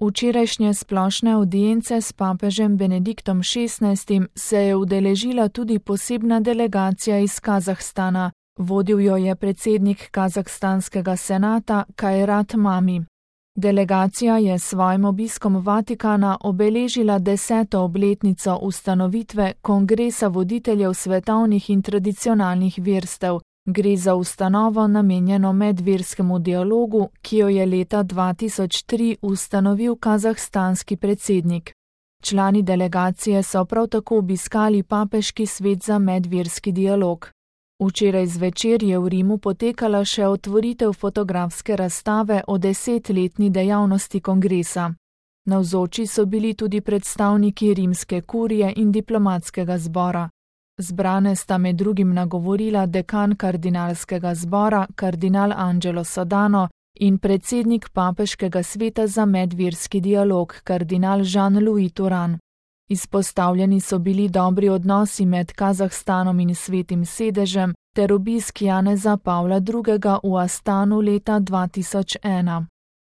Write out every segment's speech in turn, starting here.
Včerajšnje splošne avdience s papežem Benediktom XVI se je udeležila tudi posebna delegacija iz Kazahstana. Vodil jo je predsednik kazahstanskega senata Kairat Mami. Delegacija je s svojim obiskom Vatikana obeležila 10. obletnico ustanovitve Kongresa voditeljev svetovnih in tradicionalnih verstev. Gre za ustanovo namenjeno medverskemu dialogu, ki jo je leta 2003 ustanovil kazahstanski predsednik. Člani delegacije so prav tako obiskali papeški svet za medverski dialog. Včeraj zvečer je v Rimu potekala še otvoritev fotografske razstave o 10-letni dejavnosti kongresa. Navzoči so bili tudi predstavniki rimske kurije in diplomatskega zbora. Zbrane sta med drugim nagovorila dekan kardinalskega zbora, kardinal Angelo Sodano, in predsednik papeškega sveta za medverski dialog, kardinal Jean-Louis Turan. Izpostavljeni so bili dobri odnosi med Kazahstanom in Svetim sedežem ter obisk Janeza Pavla II. V Astanu leta 2001.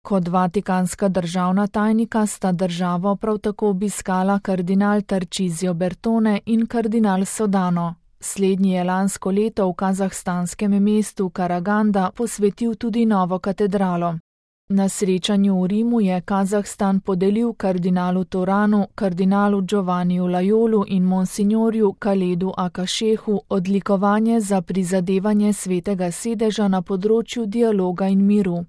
Kot vatikanska državna tajnika sta državo prav tako obiskala kardinal Tarcísio Bertone in kardinal Sodano. Slednji je lansko leto v kazahstanskem mestu Karaganda posvetil tudi novo katedralo. Na srečanju v Rimu je Kazahstan podelil kardinalu Turanu, kardinalu Giovanniju Lajolu in monsignorju Kaledu Akašehu odlikovanje za prizadevanje Svetega sedeža na področju dialoga in miru.